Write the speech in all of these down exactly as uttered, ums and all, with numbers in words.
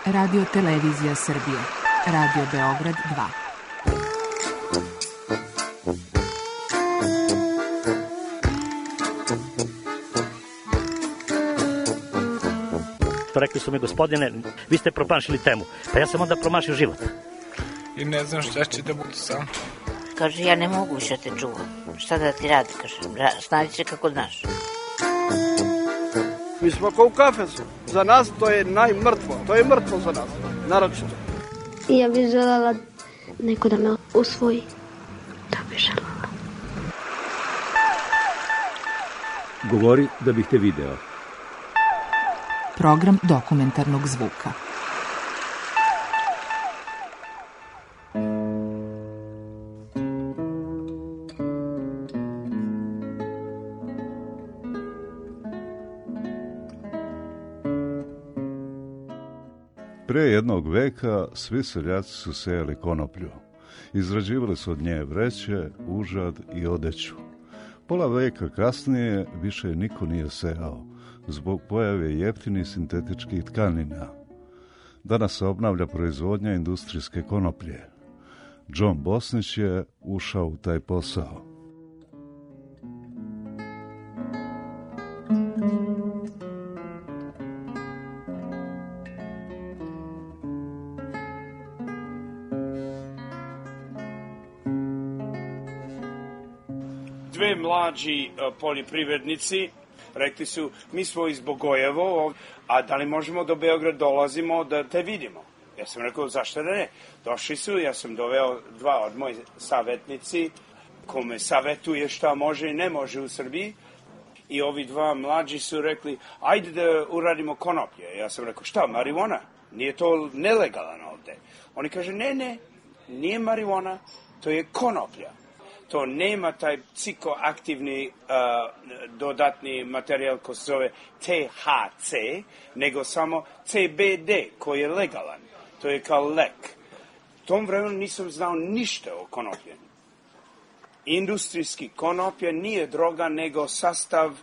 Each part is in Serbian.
Radio Televizija Srbije. Radio Beograd dva. Rekli su mi, gospodine, vi ste promašili temu. Pa ja sam onda promašio život. I ne znam šta će da budu sam. Kaže, ja ne mogu više te čuvam. Šta da ti radi, kaže, snađi se kako znaš. Mi smo kao u kafesu. Za nas to je najmrtvo. To je mrtvo za nas, naročito. Ja bih željela neko da me usvoji. Da bih željela. Govori da bih te video. Program dokumentarnog zvuka. Pre jednog veka svi seljaci su sejali konoplju. Izrađivali su od nje vreće, užad i odeću. Pola veka kasnije više niko nije sejao, zbog pojave jeftinih sintetičkih tkanina. Danas se obnavlja proizvodnja industrijske konoplje. John Bosnić je ušao u taj posao. Dve mlađi poljoprivrednici rekli su, mi smo iz Bogojevo, a da li možemo do Beograd dolazimo da te vidimo? Ja sam rekao, zašto da ne? Došli su, ja sam doveo dva od moji savjetnici, kome savjetuje šta može i ne može u Srbiji. I ovi dva mlađi su rekli, ajde da uradimo konoplje. Ja sam rekao, šta, marijuana? Nije to nelegalan ovde. Oni kaže, ne, ne, nije marijuana, to je konoplja. To nema taj psihoaktivni uh, dodatni materijal koji se zove T H C, nego samo C B D koji je legalan. To je kao lek. U tom vremenu nisam znao ništa o konoplje. Industrijski konoplje nije droga, nego sastav uh,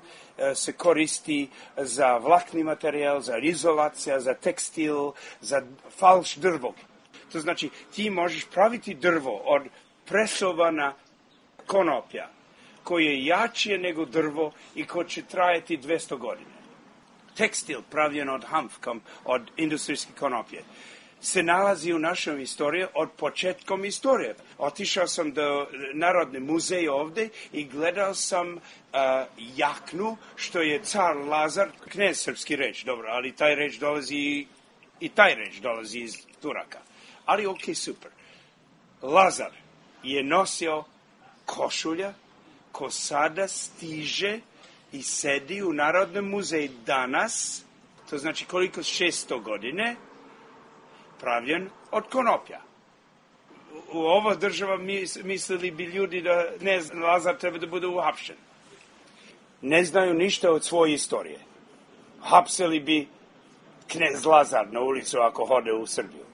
se koristi za vlakni materijal, za izolacija, za tekstil, za falš drvo. To znači ti možeš praviti drvo od presovana konoplja, koji je jače nego drvo i koji će trajati dvjesto godine. Tekstil pravljen od hamfkom, od industrijske konoplje, se nalazi u našoj istoriji od početkom istorije. Otišao sam do Narodne muzeje ovde i gledao sam uh, jaknu, što je car Lazar, knez srpski reč, dobro, ali taj reč dolazi, i taj reč dolazi iz Turaka. Ali ok, super. Lazar je nosio košulja ko sada stiže i sedi u Narodnom muzeju danas, to znači koliko šesto godine, pravljen od konoplja. U ova država mislili bi ljudi da ne zna, Lazar treba da bude uhapšen. Ne znaju ništa od svoje istorije. Hapsili bi knez Lazar na ulicu ako hode u Srbiju.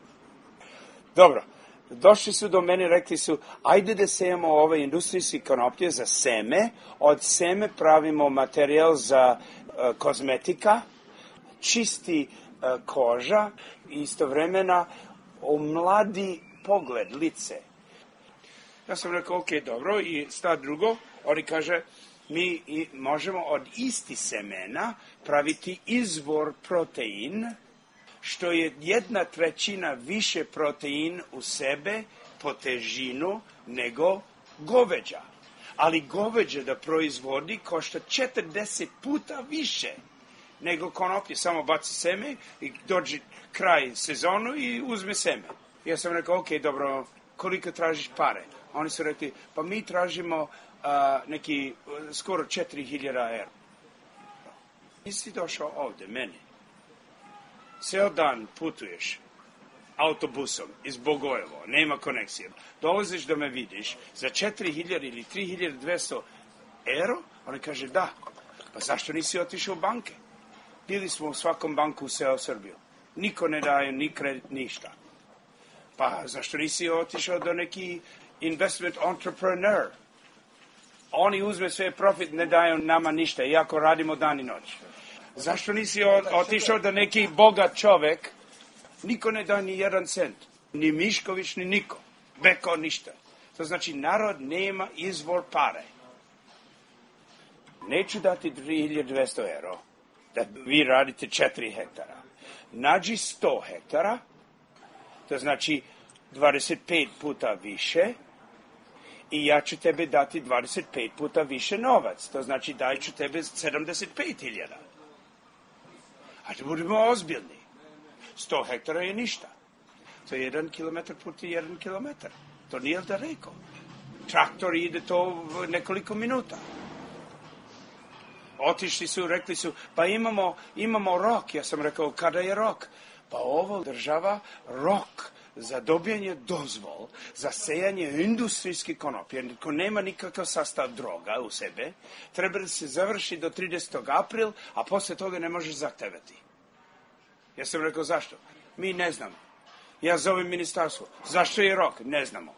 Dobro. Došli su do mene i rekli su, ajde da sejemo ove industrijske konoplje za seme, od seme pravimo materijal za uh, kozmetika, čisti uh, koža i istovremena omladi pogled, lice. Ja sam rekao, ok, dobro, i sta drugo, oni kaže, mi i možemo od isti semena praviti izvor protein, što je jedna trećina više protein u sebe po težinu nego goveđa. Ali goveđa da proizvodi košta četrdeset puta više nego konoplje. Samo baci seme i dođe kraj sezonu i uzme seme. Ja sam rekao, ok, dobro, koliko tražiš pare? Oni su rekli, pa mi tražimo uh, neki uh, skoro četiri hiljade evra. Nisi došao ovde, meni. Ceo dan putuješ autobusom iz Bogojevo, nema konekcije. Dolaziš da me vidiš za četiri hiljade ili tri hiljade dvesta euro, oni kaže da. Pa zašto nisi otišao u banke? Bili smo u svakom banku u ceo Srbiju. Niko ne daje ni kredit, ništa. Pa zašto nisi otišao do neki investment entrepreneur? Oni uzme sve profit, ne daju nama ništa, iako radimo dan i noć. Zašto nisi otišao da neki bogat čovek Niko ne da ni jedan cent. Ni Mišković, ni niko. Beko, ništa. To znači, narod nema izvor pare. Neću dati tri hiljade dvesta euro da vi radite četiri hektara. Nađi sto hektara, to znači dvadeset pet puta više, i ja ću tebe dati dvadeset pet puta više novac. To znači daj ću tebe sedamdeset pet hiljada. A da budemo ozbiljni. sto hektara je ništa. To je jedan kilometar puta jedan kilometar. To nije daleko. Traktor ide to nekoliko minuta. Otišli su, rekli su, pa imamo, imamo rok. Ja sam rekao, kada je rok? Pa ovo država rok za dobijanje dozvol, za sejanje industrijske konoplje, ko nema nikakav sastav droga u sebe, treba da se završi do tridesetog aprila, a posle toga ne možeš zahtevati. Ja sam rekao, zašto? Mi ne znamo. Ja zovem ministarstvo. Zašto je rok? Ne znamo.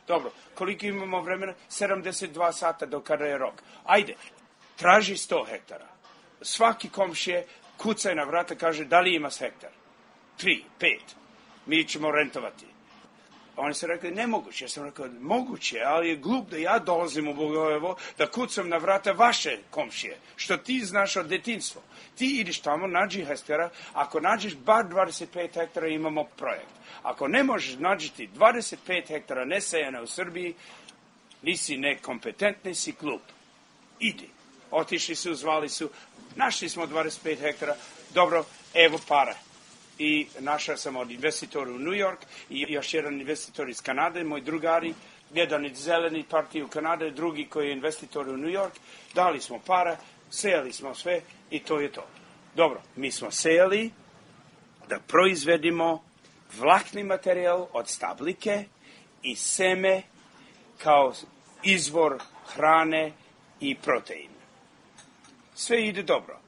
Dobro, koliko imamo vremena? sedamdeset dva sata do kada je rok. Ajde, traži sto hektara. Svaki komšije kucaj na vrata, kaže, da li imaš hektar? Tri, pet. Mi ćemo rentovati. Oni su rekli, nemoguće. Ja sam rekao, moguće, ali je glup da ja dolazim u Bogojevo, da kucam na vrata vaše komšije, što ti znaš od detinjstva. Ti ideš tamo, nađi hektara, ako nađeš bar dvadeset pet hektara, imamo projekt. Ako ne možeš nađiti dvadeset pet hektara nesejana u Srbiji, nisi nekompetentni, si glup. Idi. Otišli su, zvali su, našli smo dvadeset pet hektara, dobro, evo para. I našao sam od investitora u New York i još jedan investitor iz Kanade, moj drugari, jedan iz zeleni partije u Kanade, drugi koji je investitor u New York. Dali smo para, sejali smo sve i to je to. Dobro, mi smo sejali da proizvedimo vlakni materijal od stabljike i seme kao izvor hrane i protein. Sve ide dobro.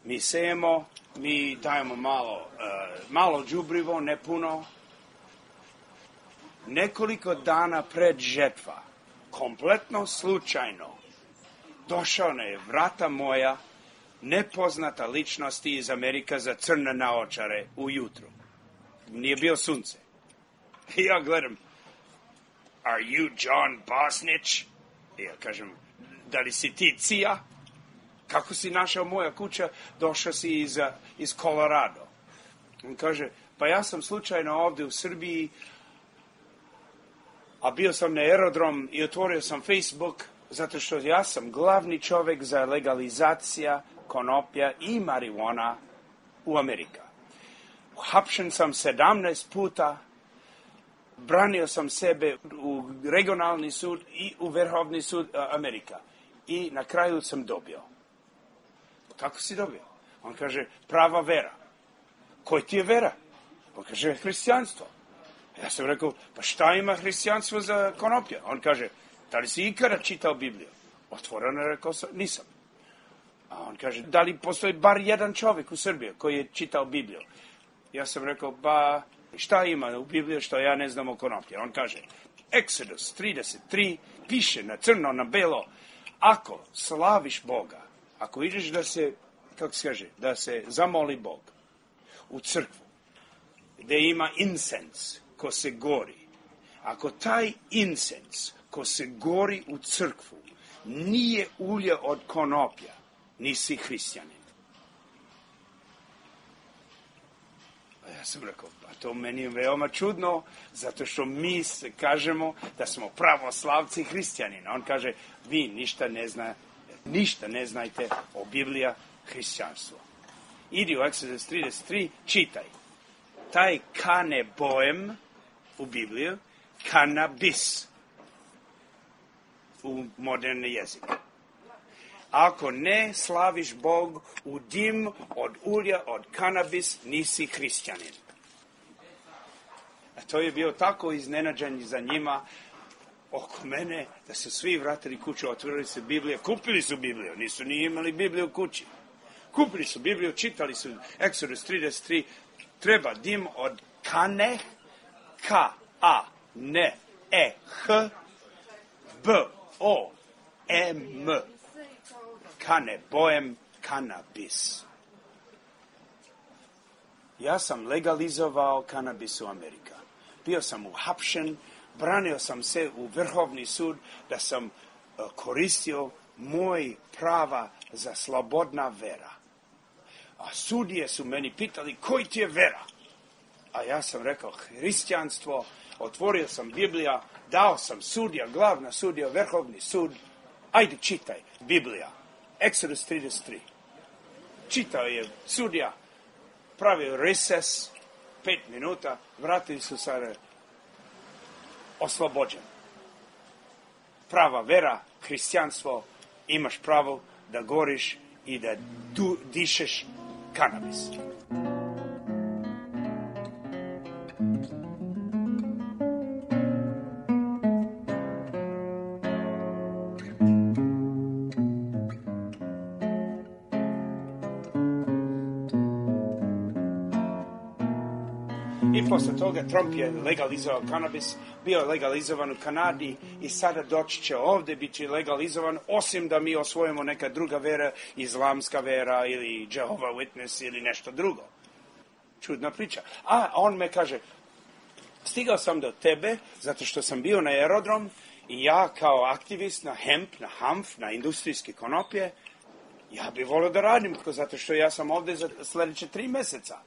Mi sejemo, mi dajemo malo, uh, malo đubrivo, ne puno. Nekoliko dana pred žetva, kompletno slučajno, došao na je vrata moja nepoznata ličnost iz Amerika za crne naočare ujutru. Nije bio sunce. I ja gledam, are you John Bosnich? I ja kažem, da li si ti Cija? Kako si našao moja kuća? Došao si iz, iz Colorado. On kaže, pa ja sam slučajno ovde u Srbiji, a bio sam na aerodrom i otvorio sam Facebook, zato što ja sam glavni čovek za legalizacija konoplja i marijuana u Amerika. Hapšen sam sedamnaest puta, branio sam sebe u regionalni sud i u Vrhovni sud Amerika. I na kraju sam dobio. Kako si dobio? On kaže, prava vera. Koji ti je vera? On kaže, hrišćanstvo. Ja sam rekao, pa šta ima hrišćanstvo za konoplje? On kaže, da li si ikada čitao Bibliju? Otvoreno rekao sam, nisam. A on kaže, da li postoji bar jedan čovjek u Srbiji koji je čitao Bibliju? Ja sam rekao, ba, šta ima u Bibliji što ja ne znam o konoplje? On kaže, Exodus trideset tri piše na crno, na belo, ako slaviš Boga, ako ideš da se, kako se kaže, da se zamoli Bog u crkvu, gde ima incense ko se gori, ako taj incense ko se gori u crkvu nije ulje od konoplja, nisi hrišćanin. Ja sam rekao, pa to meni je veoma čudno, zato što mi se kažemo da smo pravoslavci hrišćanina. On kaže, vi ništa ne zna, ništa ne znajte o Biblija hrišćanstvo. Idi u Exodus trideset tri, čitaj. Taj kaneboem u Bibliju, kanabis u moderni jezik. Ako ne slaviš Bog u dim od ulja, od kanabis, nisi hrišćanin. A to je bio tako iznenađenje za njima oko mene, da su svi vratili kuću, otvorili su Bibliju, kupili su Bibliju, nisu ni imali Bibliju u kući. Kupili su Bibliju, čitali su Exodus trideset tri, treba dim od kane, K, A, N, E, H, B, O, M, kaneboem kanabis. ja sam legalizovao kanabis u Amerika. Bio sam uhapšen, branio sam se u Vrhovni sud da sam uh, koristio moj prava za slobodna vera. A sudije su meni pitali koji ti je vera? A ja sam rekao hrišćanstvo, otvorio sam Biblija, dao sam sudija, glavna sudija, Vrhovni sud. Ajde čitaj Biblija, Exodus trideset tri. Čitao je sudija, pravio reses, pet minuta, vratili su se oslobođen. Prava vera, hrišćanstvo, imaš pravo da goriš i da du, dišeš kanabis. I posle toga Trump je legalizovao kanabis, bio je legalizovan u Kanadi i sada doći će ovde biti legalizovan, osim da mi osvojimo neka druga vera, islamska vera ili Jehovah Witness ili nešto drugo. Čudna priča. A on me kaže, stigao sam do tebe zato što sam bio na aerodrom i ja kao aktivist na hemp, na hamf, na industrijske konopje, ja bih volio da radim, zato što ja sam ovde za sledeće tri meseca.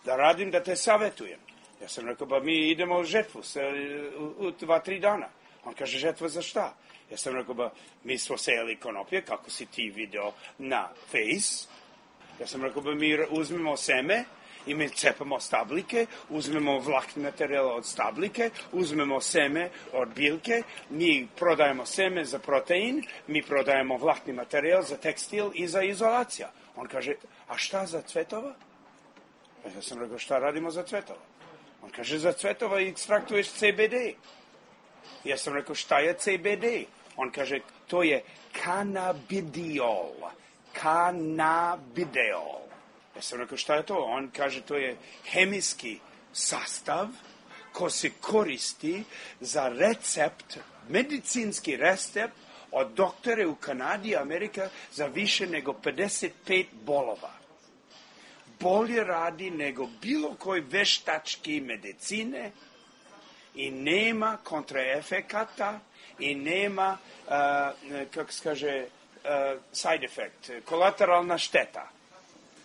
Da radim, da te savjetujem. Ja sam rekao, ba mi idemo u žetvu u, u dva, tri dana. On kaže, žetva za šta? Ja sam rekao, ba mi smo sejali konopje, kako si ti video na Face. Ja sam rekao, ba mi uzmemo seme i mi cepamo stablike, uzmemo vlakni materijal od stablike, uzmemo seme od biljke, mi prodajemo seme za protein, mi prodajemo vlakni materijal za tekstil i za izolacija. On kaže, a šta za cvetova? Ja sam rekao, šta radimo za cvetova? On kaže, za cvetova ekstraktuješ C B D. Ja sam rekao, šta je C B D? On kaže, to je kanabidiol. Kanabidiol. Ja sam rekao, šta je to? On kaže, to je hemijski sastav ko se koristi za recept, medicinski recept od doktore u Kanadi i Amerika za više nego pedeset pet bolova. Bolje radi nego bilo koji veštački medicine i nema kontraefekata i nema, uh, kako se kaže, uh, side effect, kolateralna šteta,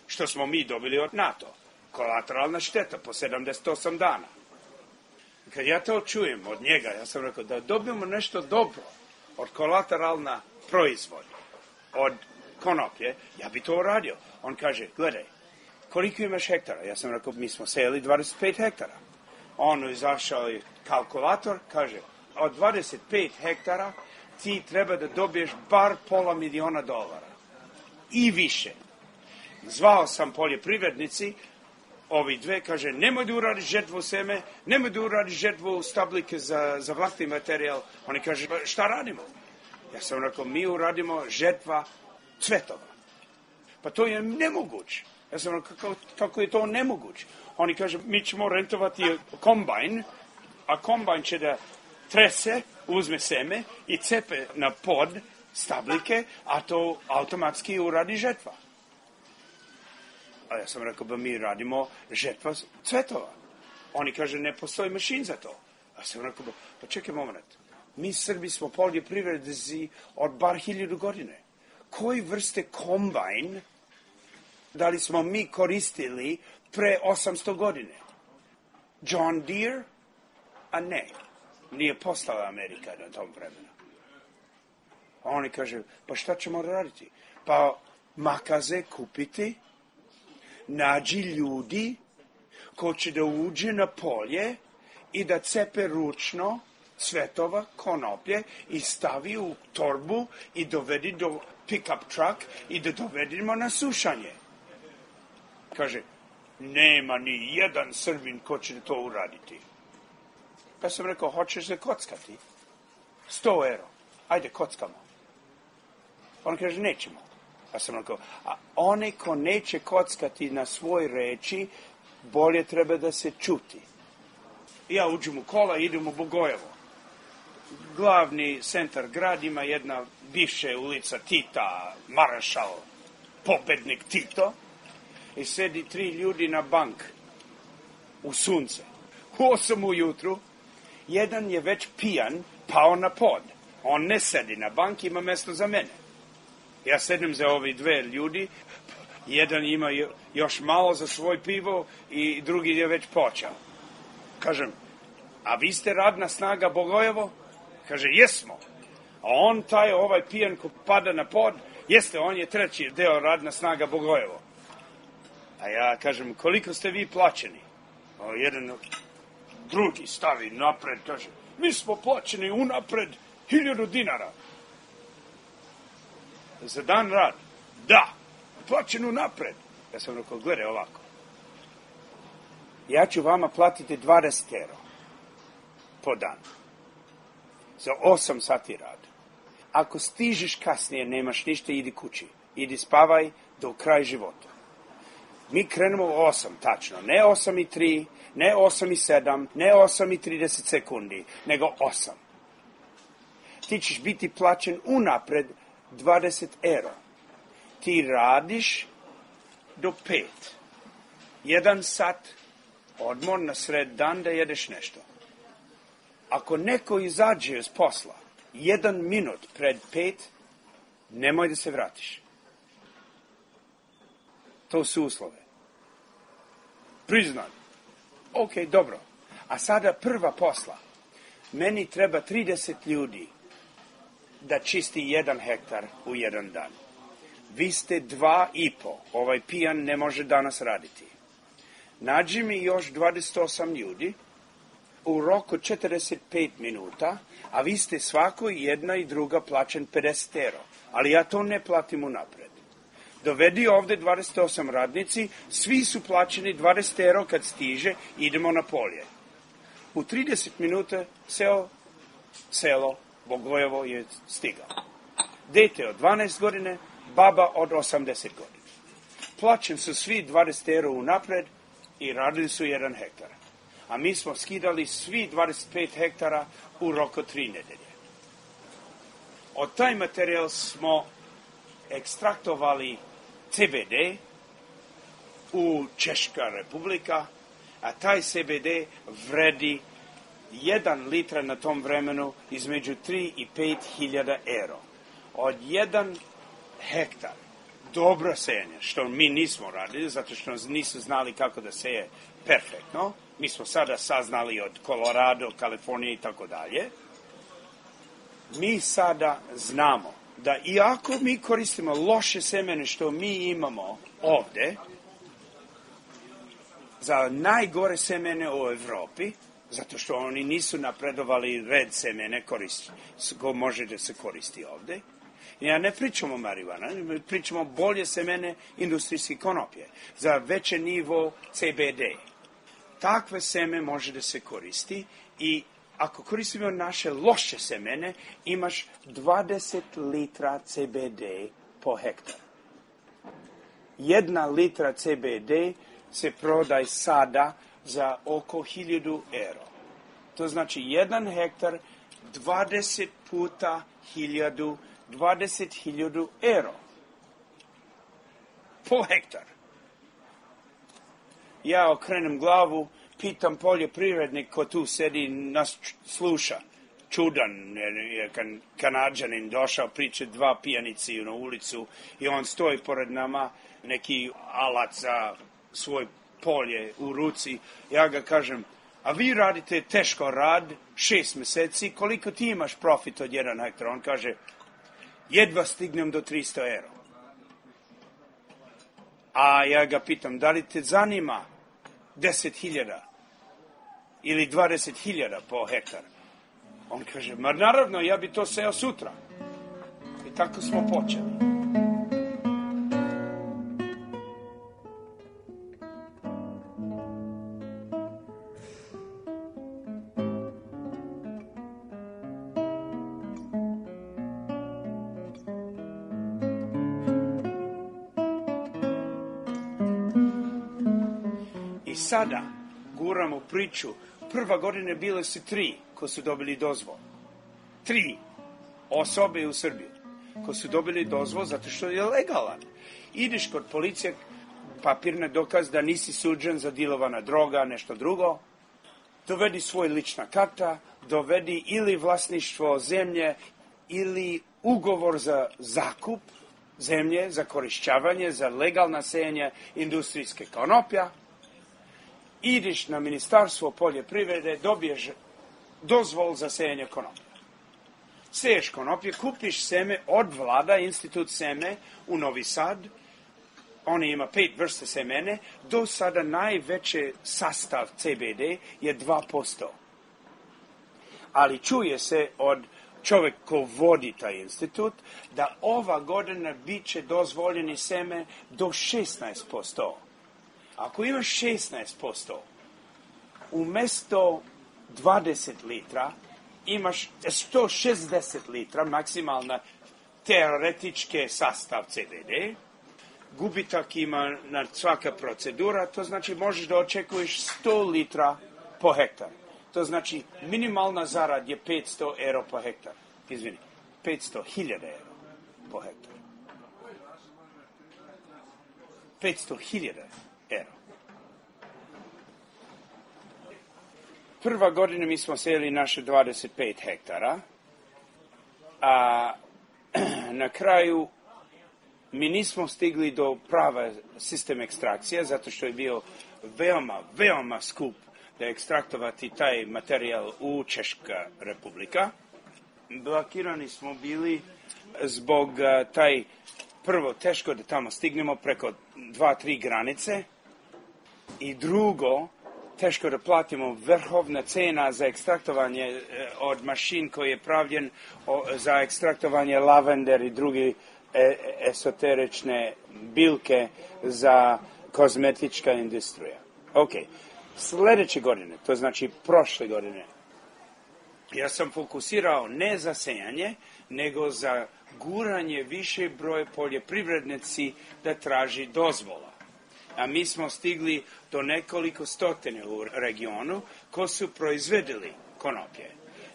što smo mi dobili od NATO. Kolateralna šteta po sedamdeset osam dana. Kad ja to čujem od njega, ja sam rekao da dobijemo nešto dobro od kolateralna proizvod, od konoplje, ja bi to uradio. On kaže, gledaj, koliko imaš hektara? Ja sam rekao, mi smo sejali dvadeset pet hektara. On izašao je kalkulator, kaže, od dvadeset pet hektara ti treba da dobiješ bar pola miliona dolara. I više. Zvao sam poljoprivrednici, ovi dve, kaže, nemoj da uradiš žetvu seme, nemoj da uradiš žetvu stablike za, za vlakni materijal. Oni kaže, šta radimo? Ja sam rekao, mi uradimo žetva cvetova. Pa to je nemoguće. Ja sam rekao, kako, kako je to nemoguće? Oni kaže, mi ćemo rentovati kombajn, a kombajn će da trese, uzme seme i cepe na pod stablike, a to automatski uradi žetva. A ja sam rekao, ba mi radimo žetva cvetova. Oni kaže, ne postoji mašin za to. A sam rekao, ba, pa čekaj moment, mi Srbi smo poljoprivrednici od bar hiljadu godine. Koji vrste kombajn da li smo mi koristili pre osamsto godine? John Deere? A ne, nije postala Amerika na tom vremenu. A oni kaže, pa šta ćemo raditi? Pa makaze kupiti, nađi ljudi ko će da uđe na polje i da cepe ručno cvetova, konoplje i stavi u torbu i dovedi do pick-up truck i da dovedimo na sušanje. Kaže, nema ni jedan Srbin ko će to uraditi. Pa sam rekao, hoćeš se kockati? Sto euro. Ajde, kockamo. On kaže, nećemo. Pa sam rekao, a onaj ko neće kockati na svoj reči, bolje treba da se čuti. Ja uđem u kola i idem u Bogojevo. Glavni centar grad ima jedna bivša ulica Tita, maršal, pobednik Tito. I sedi tri ljudi na bank u sunce. U osam ujutru, jedan je već pijan, pao na pod. On ne sedi na banki, ima mjesto za mene. Ja sedim za ovi dve ljudi, jedan ima još malo za svoj pivo i drugi je već počeo. Kažem, a vi ste radna snaga Bogojevo? Kaže, jesmo. A on, taj ovaj pijan ko pada na pod, jeste, on je treći deo radna snaga Bogojevo. A ja kažem, koliko ste vi plaćeni? O, jedan drugi stavi napred, kaže, mi smo plaćeni unapred hiljadu dinara. Za dan rad. Da, plaćen unapred. Ja sam rekao, gledaj ovako. Ja ću vama platiti dvadeset euro po dan. Za osam sati rada. Ako stižeš kasnije, nemaš ništa, idi kući. Idi spavaj do kraja života. Mi krenemo u osam, tačno. Ne osam i tri, ne osam i sedam, ne osam i trideset sekundi, nego osam. Ti ćeš biti plaćen unapred dvadeset euro. Ti radiš do pet. Jedan sat odmor na sred dan da jedeš nešto. Ako neko izađe iz posla jedan minut pred pet, nemoj da se vratiš. To su uslove. Priznam. Ok, dobro. A sada prva posla. Meni treba trideset ljudi da čisti jedan hektar u jedan dan. Vi ste dva i po. Ovaj pijan ne može danas raditi. Nađi mi još dvadeset osam ljudi u roku četrdeset pet minuta, a vi ste svako jedna i druga plaćen pedeset euro. Ali ja to ne platim unapred. Dovedi ovde dvadeset osam radnici, svi su plaćeni dvadeset euro kad stiže, idemo na polje. U trideset minuta seo, selo Bogojevo je stigao. Dete od dvanaest godine, baba od osamdeset godina. Plaćen su svi dvadeset euro unapred i radili su jedan hektar. A mi smo skidali svi dvadeset pet hektara u roku tri nedelje. Od taj materijal smo ekstraktovali C B D u Češka republika, a taj C B D vredi jedan litra na tom vremenu između tri i pet hiljada euro. Od jedan hektar dobro sejanje, što mi nismo radili, zato što nisu znali kako da seje perfektno. Mi smo sada saznali od Colorado, Kalifornije i tako dalje. Mi sada znamo da iako mi koristimo loše semene što mi imamo ovde, za najgore semene u Evropi, zato što oni nisu napredovali red semene koristi, ko može da se koristi ovde. Ja ne pričamo o marihuana, pričamo bolje semene industrijske konoplje, za veće nivo C B D. Takve seme može da se koristi i ako koristimo naše loše semene, imaš dvadeset litra C B D po hektar. Jedna litra C B D se prodaje sada za oko hiljadu euro. To znači jedan hektar, dvadeset puta hiljadu, dvadeset hiljadu euro. Po hektar. Ja okrenem glavu, pitam poljoprivrednik ko tu sedi, nas sluša. Čudan, je Kanadžanin došao, priča dva pijanici na ulicu i on stoji pored nama, neki alat za svoj polje u ruci. Ja ga kažem, a vi radite teško rad, šest meseci, koliko ti imaš profit od jedan hektar? On kaže, jedva stignem do tristo euro. A ja ga pitam, da li te zanima deset hiljada ili dvadeset hiljada po hektar? On kaže, ma naravno, ja bi to seo sutra. I tako smo počeli. I sada guramo priču. Prva godine bile su tri ko su dobili dozvol. Tri osobe u Srbiji ko su dobili dozvol zato što je legalan. Ideš kod policije, papirni dokaz da nisi suđen za dilovana droga, nešto drugo. Dovedi svoj lična karta, dovedi ili vlasništvo zemlje, ili ugovor za zakup zemlje, za korišćavanje, za legalno sejanje industrijske konoplja. Ideš na Ministarstvo poljoprivrede, dobiješ dozvol za sejanje konoplja. Seješ konoplje, kupiš seme od vlada, institut seme u Novi Sad. Oni ima pet vrste semene. Do sada najveći sastav C B D je dva posto. Ali čuje se od čovjek ko vodi taj institut da ova godina bit će dozvoljeni seme do šesnaest posto. Ako imaš šesnaest posto, umjesto dvadeset litra, imaš sto šezdeset litra, maksimalna teoretičke sastav C B D, gubitak ima na svaka procedura, to znači možeš da očekuješ sto litra po hektar. To znači minimalna zarad je petsto euro po hektar. Izvini, petsto hiljada euro po hektar. petsto hiljada euro. Prva godina mi smo sejali naše dvadeset pet hektara, a na kraju mi nismo stigli do prava sistem ekstrakcije, zato što je bio veoma, veoma skup da ekstraktovati taj materijal u Češka republika. Blokirani smo bili zbog uh, taj, prvo, teško da tamo stignemo preko dva, tri granice, i drugo, teško da platimo vrhovna cena za ekstraktovanje uh, od mašin koji je pravljen o, za ekstraktovanje lavender i drugi e, esoterične biljke za kozmetička industrija. Ok, sljedeće godine, to znači prošle godine, ja sam fokusirao ne za sejanje, nego za guranje više broje poljoprivrednici da traži dozvola. A mi smo stigli do nekoliko stotine u regionu ko su proizvedili konoplje.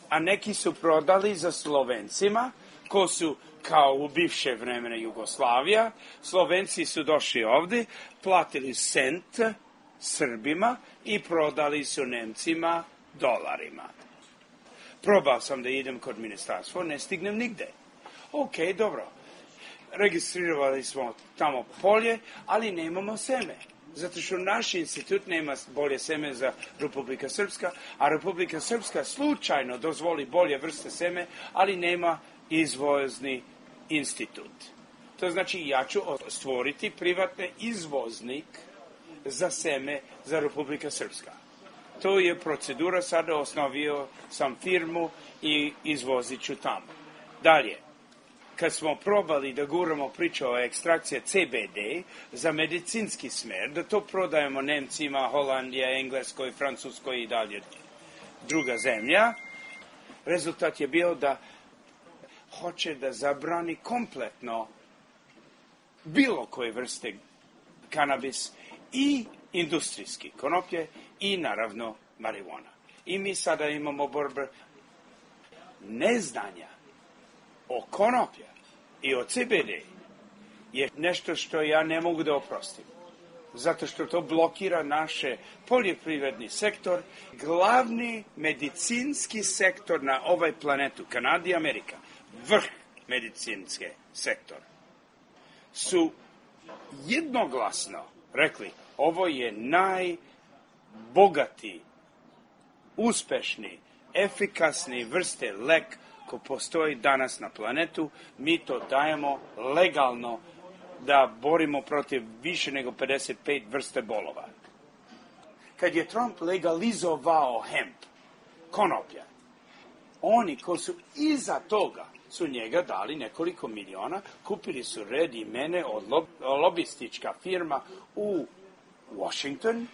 A neki su prodali za Slovencima, ko su kao u bivše vremena Jugoslavija. Slovenci su došli ovdje, platili cent Srbima i prodali su Nemcima dolarima. Probao sam da idem kod ministarstva, ne stignem nigde. Ok, dobro. Registrirali smo tamo polje, ali nemamo seme. Zato što naš institut nema bolje seme za Republika Srpska, a Republika Srpska slučajno dozvoli bolje vrste seme, ali nema izvozni institut. To znači ja ću stvoriti privatni izvoznik za seme za Republika Srpska. To je procedura, sada osnovio sam firmu i izvozit ću tamo. Dalje, kad smo probali da guramo priču o ekstrakciji C B D za medicinski smer, da to prodajemo Nemcima, Holandija, Engleskoj, Francuskoj i dalje druga zemlja, rezultat je bio da hoće da zabrani kompletno bilo koje vrste kanabis i industrijski konoplje i naravno marijuana. I mi sada imamo borbe neznanja o konoplja i o C B D je nešto što ja ne mogu da oprostim. Zato što to blokira naše poljoprivredni sektor, glavni medicinski sektor na ovaj planetu, Kanada i Amerika, vrh medicinske sektor, su jednoglasno rekli ovo je najbogati, uspešni, efikasni vrste lek ko postoji danas na planetu. Mi to dajemo legalno da borimo protiv više nego pedeset pet vrste bolova. Kad je Trump legalizovao hemp, konoplja, oni koji su iza toga su njega dali nekoliko miliona, kupili su red imene od lob, lobistička firma u Washington,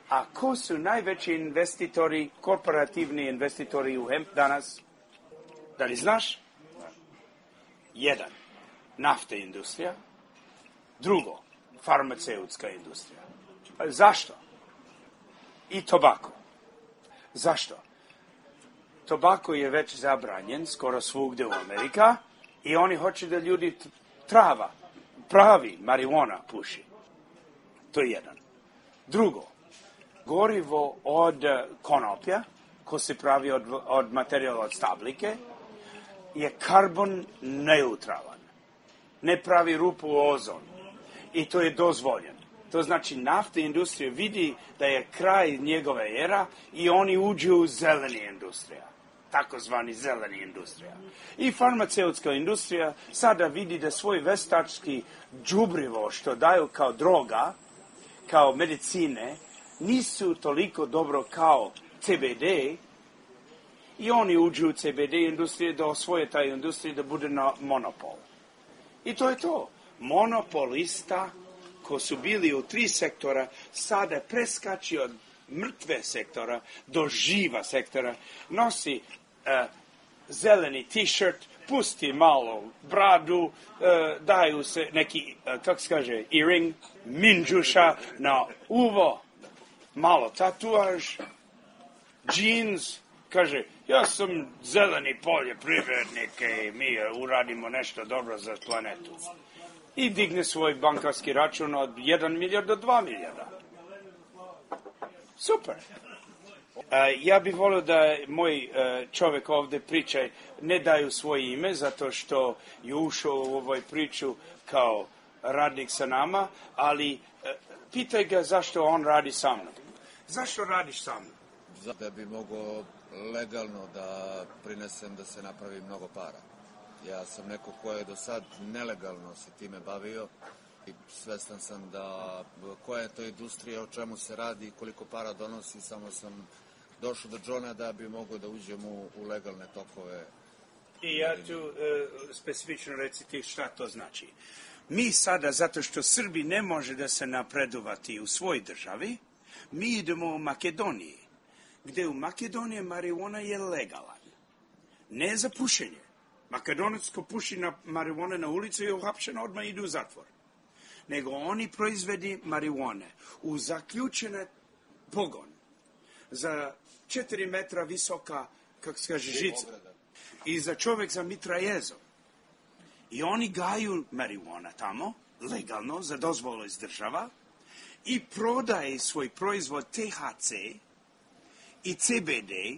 a ko su najveći investitori, korporativni investitori u hemp danas? Da li znaš? Jedan, nafta industrija. Drugo, farmaceutska industrija. Zašto? I tobako. Zašto? Tobako je već zabranjen skoro svugde u Amerika i oni hoće da ljudi trava, pravi marijuana puši. To je jedan. Drugo, gorivo od konoplja, ko se pravi od, od materijala od stabljike, je karbon neutralan. Ne pravi rupu u ozon. I to je dozvoljeno. To znači naftna industrija vidi da je kraj njegove era i oni uđu u zeleni industrija. Takozvani zeleni industrija. I farmaceutska industrija sada vidi da svoj veštački đubrivo što daju kao droga, kao medicine, nisu toliko dobro kao C B D i oni uđu u C B D industrije da osvoje taj industriju da bude na monopol. I to je to. Monopolista ko su bili u tri sektora sada preskači od mrtve sektora do živa sektora, nosi uh, zeleni t-shirt, pusti malo bradu, uh, daju se neki, uh, kako se kaže, earring, minđuša na uvo, malo tatuaž, džins, kaže, ja sam zeleni poljoprivrednik i mi uradimo nešto dobro za planetu. I digne svoj bankarski račun od jedan milijard do dva milijarda. Super. Uh, ja bih volio da moj uh, čovjek ovdje priča, ne daju svoje ime, zato što je ušao u ovoj priču kao radnik sa nama, ali uh, pitaj ga zašto on radi sa mnom. Zašto radiš sa mnom? Da bi mogao legalno da prinesem da se napravi mnogo para. Ja sam neko ko je do sad nelegalno se time bavio i svestan sam da koja je to industrija, o čemu se radi i koliko para donosi, samo sam došao do Johna da bi mogao da uđem u, u legalne tokove. I ja ću uh, specifično reciti šta to znači. Mi sada, zato što Srbi ne može da se napredovati u svoj državi, mi idemo u Makedoniji, gde u Makedoniji marijuana je legalan. Ne za pušenje. Makedonac ko puši na marijuane na ulici je uhapšen, odmah ide u zatvor. Nego oni proizvedi marijuane u zaključene pogon za četiri metra visoka, kako se kaže, žica. I za čovjek za mitraljezom. I oni gaju marijuana tamo, legalno, za dozvolu iz država, i prodaje svoj proizvod T H C i C B D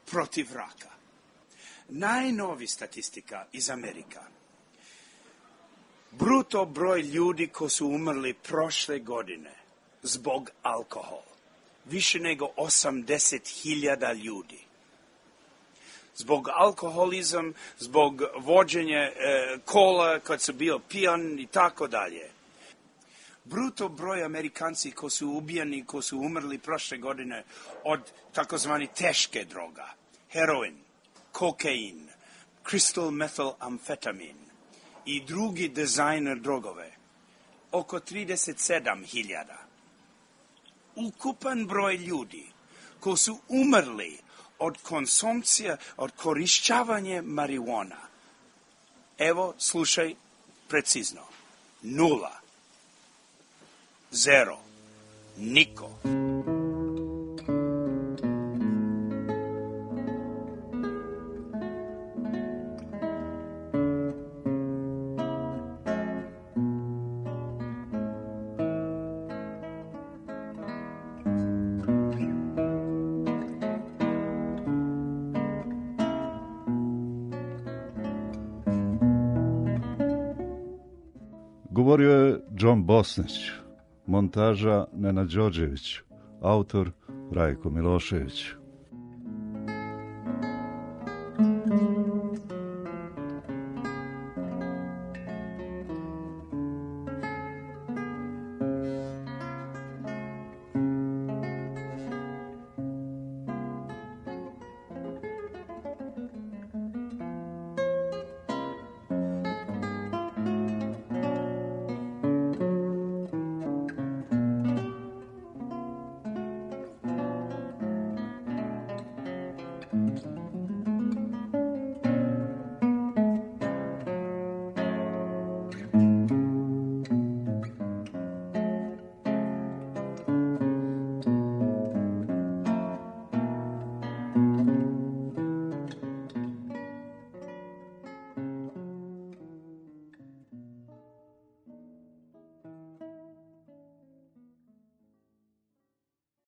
protiv raka. Najnovi statistika iz Amerika. Bruto broj ljudi ko su umrli prošle godine zbog alkohola. Više nego osamdeset hiljada ljudi. Zbog alkoholizam, zbog vođenja e, kola kad su bio pijan i tako dalje. Bruto broj Amerikanci ko su ubijani, ko su umrli prošle godine od takozvani teške droga. Heroin, kokain, crystal methylamfetamin i drugi dizajner drogove. Oko trideset sedam hiljada. Ukupan broj ljudi ko su umrli od konsumpcija, od korišćavanja marijuana. Evo, slušaj precizno. Nula. Zero. Niko. Govorio je John Bosnić, montaža Nenad Đorđević, autor Rajko Milošević.